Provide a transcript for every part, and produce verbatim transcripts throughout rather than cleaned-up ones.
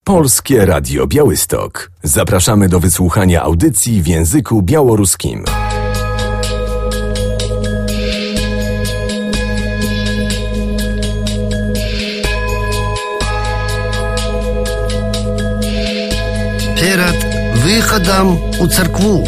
Polskie Radio Białystok. Zapraszamy do wysłuchania audycji w języku białoruskim. Перед выходом у церкву.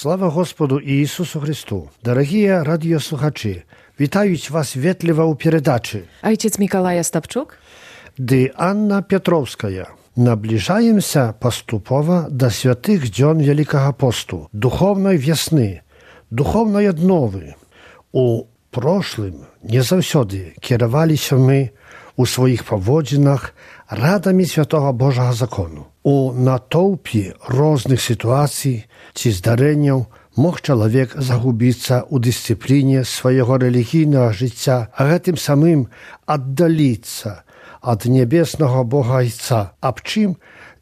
Слава Господу Иисусу Христу! Дорогие радиослухачи, вітають вас ветліва у передачі. Ojciec Mikołaj Ostapczuk. Dy Anna Piotrowskaja. Наближаемся поступово до святых дзён Великого посту, духовной весны, духовной одновы. У прошлым не заўсёды кіраваліся мы у своих паводзінах радамі святого Божага закону. У натоўпе розных сітуацый ці здарэнняў мог чалавек загубіцца ў дысцыпліне свайго рэлігійнага жыцця, а гэтым самым аддаліцца ад нябеснага Бога Айца, аб чым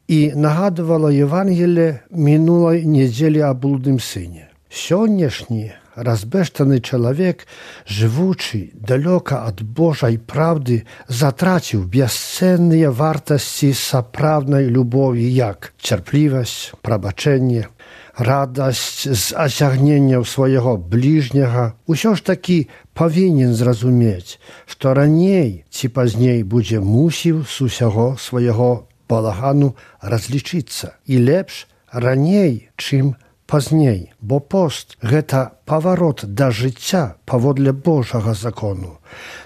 і нагадывала Евангелие мінулай нядзелі аб блудным сыне. Сённяшні разбэштаны чалавек, жывучы далёка ад Божай праўды, затраціў бясцэнныя вартасці сапраўднай любові, як цярплівасць, прабачэнне, радасць з асягненняў свайго бліжняга. Усё ж такі павінен зразумець, што раней ці пазней будзе мусіў з усяго свайго балагану разлічыцца. І лепш раней, чым пазней, бо пост – гэта паварот да жыцця паводле Божага закону.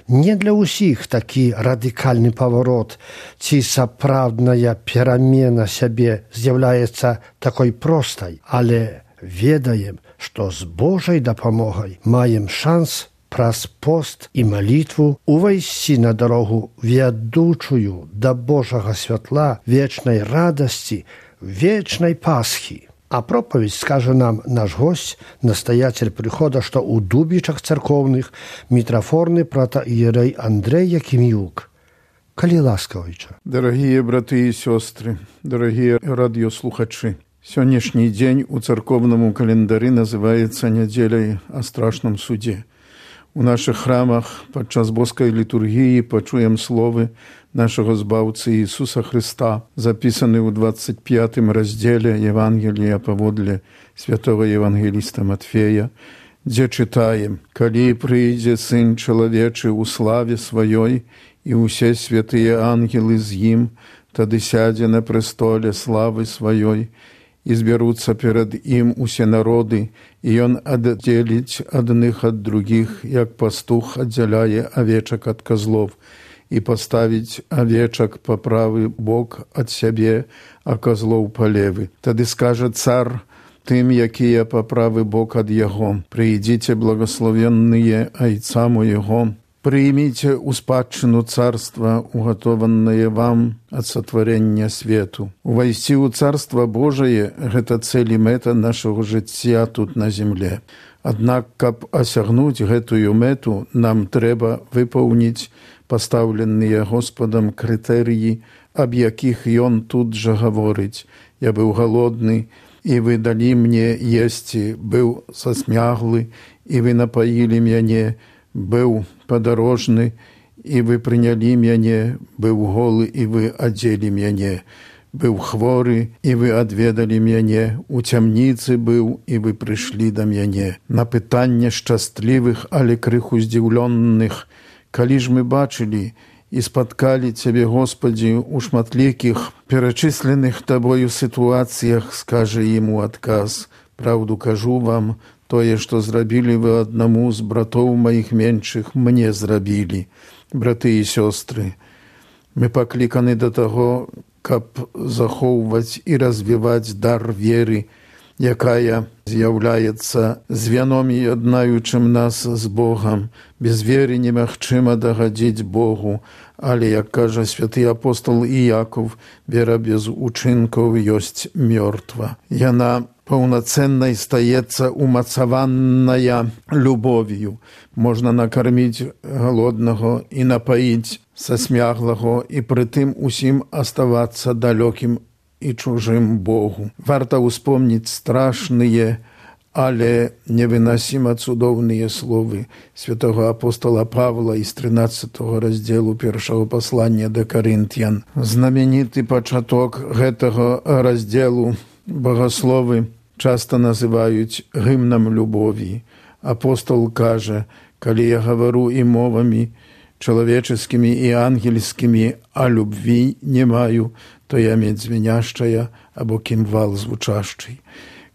Не для ўсіх такі радыкальны паварот ці сапраўдная перамена сябе з'яўляецца такой простай, але ведаем, што з Божай дапамогай маем шанс праз пост і малітву увайсці на дарогу вядучую да Божага святла, вечнай радасці, вечнай Пасхі. А проповедь скажа нам наш гость, настоятель прихода, что у Дубичах церковных митрофорный протоиерей Андрей Якимюк. Коли ласковича. Дорогие браты и сестры, дорогие радиослухачи, сегодняшний день у церковному календаре называется неделей о страшном суде. У наших храмах подчас боской литургии почуем словы нашего Збавцы Иисуса Христа, записанные в двадцать пятом разделе Евангелия поводле святого евангелиста Матфея, где читаем: «Коли придет Сын Человечий у славе Своей, и усе святые ангелы с Ним, тады сядя на престоле славы Своей, и зберутся перед Им усе народы, и Он отделить одних от других, як пастух отделяє овечек от козлов, и поставить овечек по правый бок от себе, а козлов по левый. Тады скаже цар тым, якія по правый бок от Его: приидите, благословенные Айца Моего, примите у спадчыну царства, уготованное вам от сотворения свету. Увайсці у Царство Божие – гэта цель и мета нашего жыцця тут на земле. Аднак, каб осягнуть гэтую мету, нам трэба выпаўніць пастаўленыя Господом крытэрыі, аб якіх Ён тут жа гаворыць: «Я быў галодны, і вы далі мне есці, быў засмяглы, і вы напаілі мяне, быў падарожны, і вы прынялі мяне, быў голы, і вы адзелі мяне, быў хворы, і вы адведалі мяне, у цямніцы быў, і вы прыйшлі да мяне. На пытанне шчаслівых, але крыху здзіўлённых, калі ж мы бачылі і спаткалі Цябе, Господі, у шматлікіх перачысленых Табою сітуацыях, скажа ім у адказ: «Праўду кажу вам, тое, што зрабілі вы аднаму з братоў маіх меншых, мне зрабілі». Браты і сёстры, мы пакліканы да таго, каб захоўваць і развіваць дар веры, якая з'яўляецца звяном яднаючым нас з Богам. Без веры немагчыма дагадзіць Богу, але, як кажа святы апостол Іяков, вера без учынкаў ёсць мёртва. Яна паўнацэннай стаецца умацаваная любов'ю. Можна накарміць галоднага і напаіць сасмяглага, і прытым усім аставацца далёкім і чужым Богу. Варта ўспомніць страшныя, але невыносіма цудоўныя словы святого апостола Павла из тринадцатого раздзелу першага паслання да Карынтян. Знаменіты пачаток гэтага раздзелу багасловы часта называюць гімнам любові. Апостол кажа: «Калі я гавару і мовамі чалавеческімі і ангельскімі, а любві не маю, то я медь звеняшчая або кімвал звучашчый.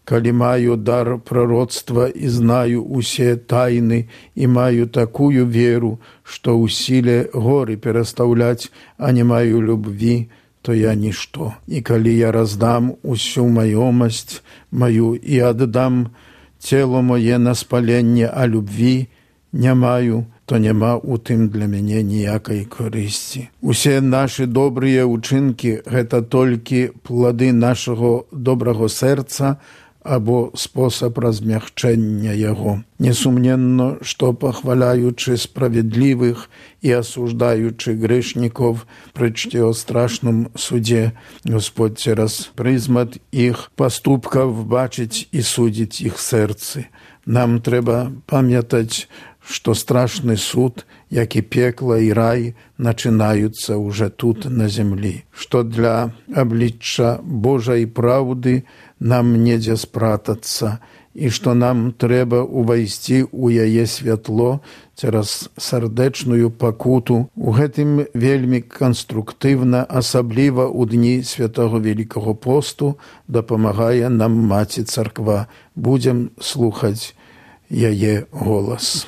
Калі маю дар пророцтва і знаю усе тайны, і маю такую веру, што ў сіле горы перастаўляць, а не маю любві, то я нішто. І калі я раздам усю маёмасць маю і аддам цело моє на спаленне, а любві не маю, то няма у тым для мяне ніякай карысці». Усе нашы добрыя ўчынкі – гэта толькі плады нашага добрага сэрца або спосаб размягчэння яго. Несумненна, што пахваляючы справедлівых і асуждаючы грэшніков прычце о страшным судзе, Господь цераз прызмат іх паступкаў бачыць і судзіць іх сэрцы. Нам трэба памятаць, што страшны суд, як і пекла і рай, начинаюцца уже тут на землі, што для аблічча Божай праўды нам недзе спратацца, і што нам трэба увайсці ў яе святло цераз сардэчную пакуту. У гэтым вельмі канструктыўна, асабліва ў дні святого Великого посту, дапамагае нам Маці Царква. Будзем слухаць яе голас.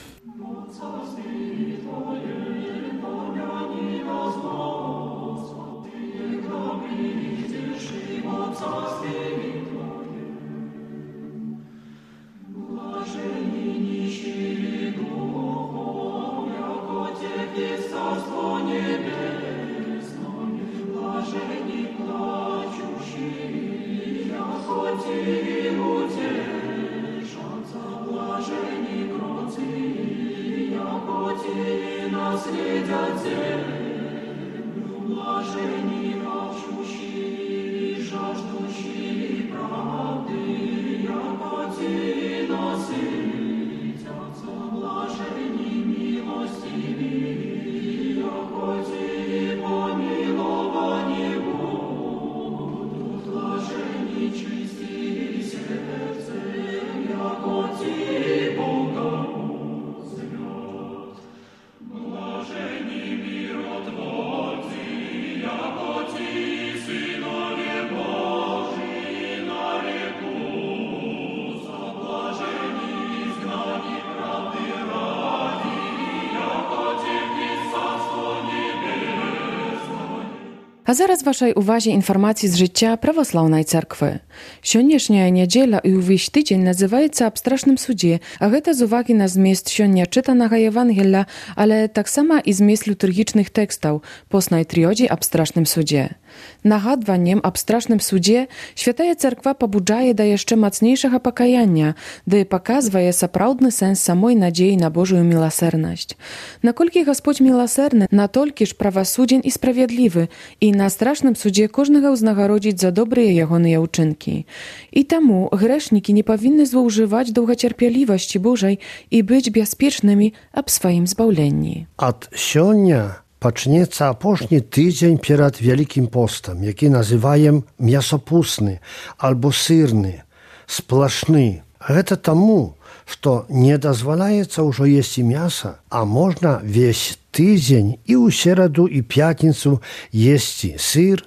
А зараз вашай увазе інфармацыі з жыцця праваслаўнай царквы. Сённяшняя нядзеля і ўвесь тыдзень называецца аб страшным судзе, а гэта з увагі на змест сёння чытанага Евангелля, але таксама і змест літургічных тэкстаў поснай трыёдзі аб страшным судзе. Нагадваннем аб страшным судзе Святая Царква пабуджае да яшчэ мацнейшага пакаяння, ды паказвае сапраўдны сэнс самой надзеі на Божую міласэрнасць. Наколькі Гасподзь міласэрны, натолькі ж правасудзен і справядлівы, і на страшным судзе кожнага ўзнагародзіць за добрыя ягоныя ўчынкі. І таму грэшнікі не павінны злоўжываць доўгацярпялівасці Божай і быць бяспечнымі аб сваім збаўленні. Ад сёння пачнецца апошні тыдзень перад Вялікім постам, які называем мясопусны альбо сырны, сплашны. Гэта таму, што не дазваляецца ўжо есці мяса, а можна весь тыдзень і ў сераду і пятніцу есці сыр,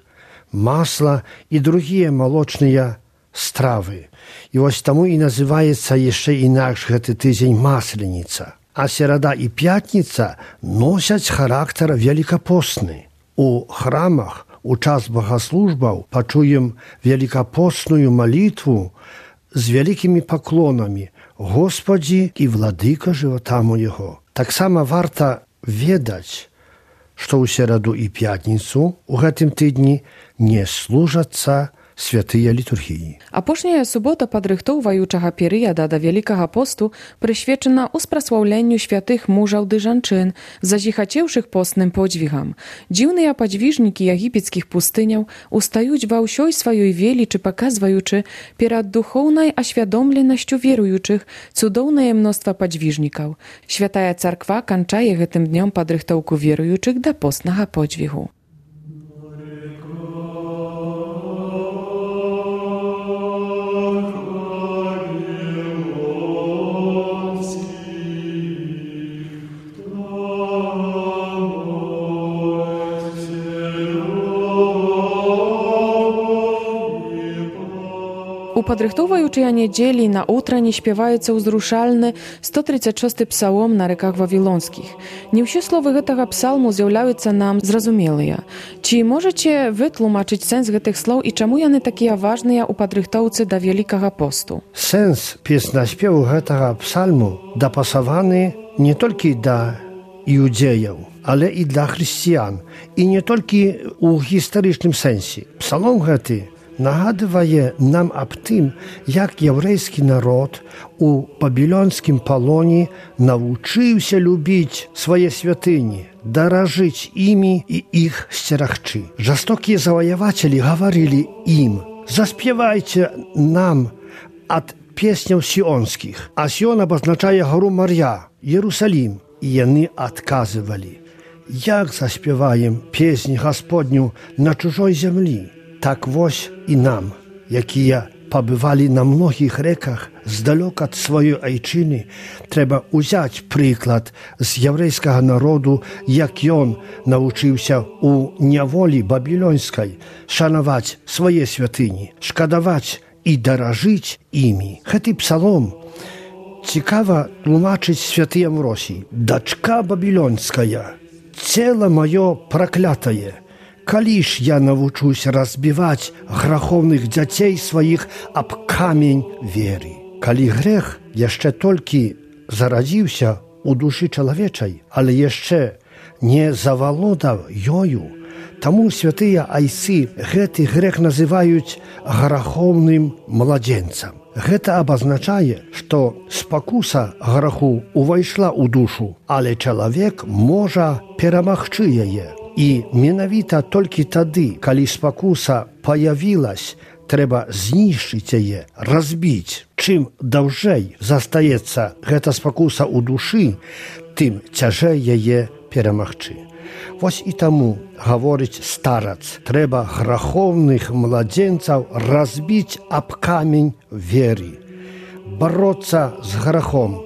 масла і другія малочныя стравы. І вось таму і называецца яшчэ інакш гэты тыдзень масленіца. А серада і пятніца носяць характар великапостны. У храмах у час богаслужбаў пачуем великапостную малітву з вялікімі паклонамі «Господі і владыка жывота моего». Таксама варта ведаць, што ў сераду і пятніцу у гэтым тыдні не служацца святыя літургіі. Апошняя субота падрыхтоўваючага перыяда да Вялікага посту прысвечана ўспраслаўленню святых мужаў ды жанчын, зазіхацеўшых постным подзвігам. Дзіўныя падзвіжнікі егіпецкіх пустыняў устаюць ва ўсёй сваёй велічы, паказваючы перад духоўнай асвядомленасцю веруючых цудоўнае мноства падзвіжнікаў. Святая царква канчае гэтым днём падрыхтоўку веруючых да постнага подзвігу. У падрыхтоўваючыя нядзелі на ўтрані спяваецца ўзрушальны сто тридцать шосты псалом на рэках вавілонскіх. Не ўсе словы гэтага псалму з'яўляюцца нам зразумелыя. Ці можаце вы тлумачыць сэнс гэтых слоў і чаму яны такія важныя ў падрыхтоўцы да Вялікага посту? Сэнс песнаспеву гэтага псальму дапасаваны не толькі да іудзеяў, але і для хрысціян, і не толькі ў гістарычным сэнсе. Псалом гэты нагадвае нам аб тым, як яўрэйскі народ у бабілонскім палоне навучыўся любіць свае святыні, даражыць імі і іх сцерагчы. Жорстокія заваявацелі гаварылі ім: «Заспявайце нам ад песняў сіонскіх». А Сіон абазначае гару Мар'я, Єрусалім. І яны адказвалі: «Як заспяваем песнь Гасподню на чужой зямлі?» Так вось і нам, якія пабывалі на многіх рэках здалёк ад сваёй айчыны, трэба ўзяць прыклад з яўрэйскага народу, як ён навучыўся ў няволі бабілонскай шанаваць свае святыні, шкадаваць і даражыць імі. Гэты псалом цікава тлумачыць святы Амвросій: «Дачка бабілонская, цела маё праклятае, калі ж я навучуся разбіваць граховных дзяцей сваіх аб камень веры». Калі грэх яшчэ толькі зарадзіўся у душы чалавечай, але яшчэ не завалодаў ёю, таму святыя айцы гэты грэх называюць граховным младзенцам. Гэта абазначае, што спакуса граху увайшла ў душу, але чалавек можа перамагчы яе. І менавіта толькі тады, калі спакуса паявілась, трэба знішчыць яе, разбіць. Чым даўжэй застаецца гэта спакуса ў душы, тым цяжэй яе перамагчы. Вось і таму, гаворыць старац, трэба граховных младзенцаў разбіць аб камень веры, бароцца з грахом,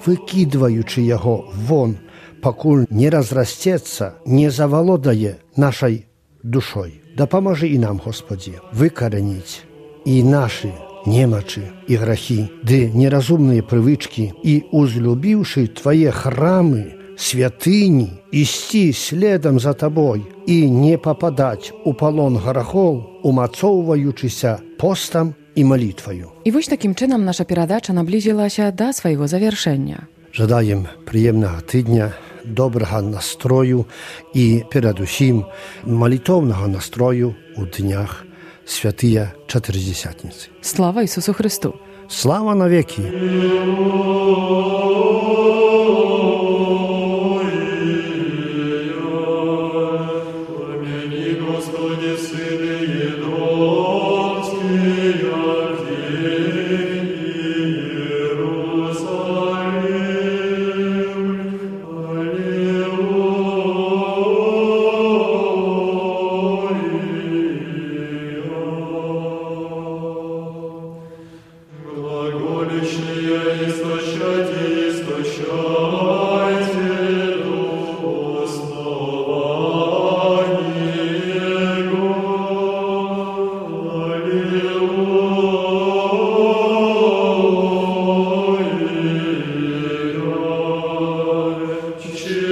выкідваючы яго вон, пакуль не разрасцецца, не завалодае нашай душой. Дапамажы і нам, Господі, выкараніць і нашы немачы і грахі, ды неразумныя прывычкі, і, узлюбіўшы Твае храмы, святыні, ісці следам за Табой і не пападаць у палон грахоў, умацоўваючыся постам і малітваю. І вось такім чынам наша перадача наблізілася да свайго завяршэння. Жадаем прыемнага тыдня, добрага настрою і, перадусім, малітоўнага настрою ў днях святыя Чатырдзесятніцы. Слава Ісусу Христу! Слава навекі! Oh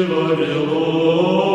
Вавилон.